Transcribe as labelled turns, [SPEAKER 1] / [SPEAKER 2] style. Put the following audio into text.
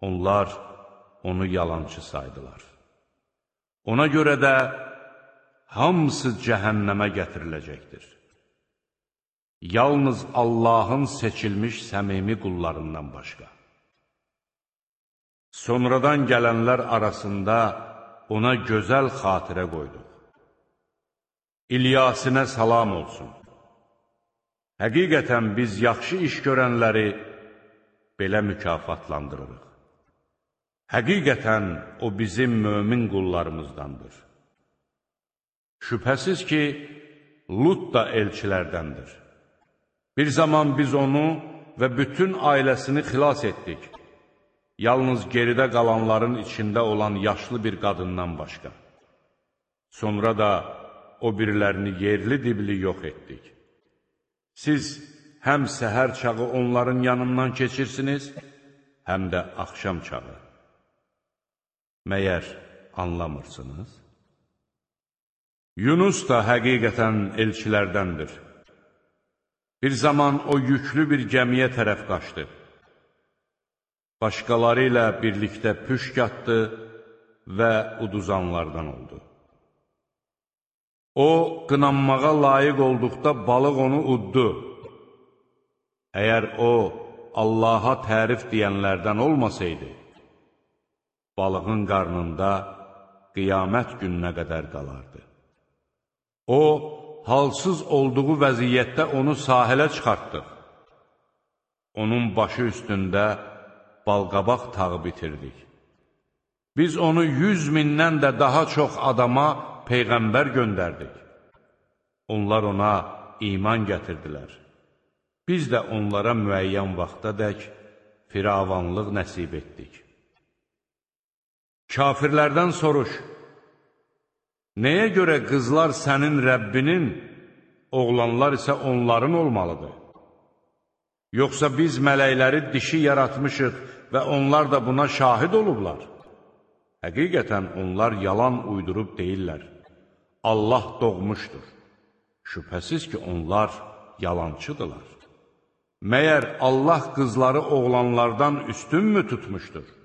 [SPEAKER 1] Onlar onu yalançı saydılar. Ona görə də hamısı cəhənnəmə gətiriləcəkdir. Yalnız Allahın seçilmiş səmimi qullarından başqa. Sonradan gələnlər arasında ona gözəl xatirə qoyduq. İlyasinə salam olsun. Həqiqətən biz yaxşı iş görənləri belə mükafatlandırırıq. Həqiqətən o bizim mömin qullarımızdandır. Şübhəsiz ki, Lut da elçilərdəndir. Bir zaman biz onu və bütün ailəsini xilas etdik. Yalnız geridə qalanların içində olan yaşlı bir qadından başqa. Sonra da o birilərini yerli-dibli yox etdik. Siz həm səhər çağı onların yanından keçirsiniz, həm də axşam çağı. Məyər anlamırsınız? Yunus da həqiqətən elçilərdəndir. Bir zaman o yüklü bir gəmiyə tərəf qaçdı. Başqaları ilə birlikdə püşk atdı və uduzanlardan oldu. O, qınanmağa layiq olduqda balıq onu uddu. Əgər o, Allaha tərif deyənlərdən olmasaydı, balığın qarnında qiyamət gününə qədər qalardı. O, halsız olduğu vəziyyətdə onu sahilə çıxartdıq. Onun başı üstündə balqabaq tağı bitirdik. Biz onu 100 mindən də daha çox adama Peyğəmbər göndərdik. Onlar ona iman gətirdilər. Biz də onlara müəyyən vaxtadək firavanlıq nəsib etdik. Kafirlərdən soruş, nəyə görə qızlar sənin Rəbbinin, oğlanlar isə onların olmalıdır? Yoxsa biz mələkləri dişi yaratmışıq və onlar da buna şahid olublar? Həqiqətən onlar yalan uydurub deyirlər. Allah doğmuşdur. Şübhəsiz ki, onlar yalancıdırlar. Məyər Allah qızları oğlanlardan üstün mü tutmuşdur?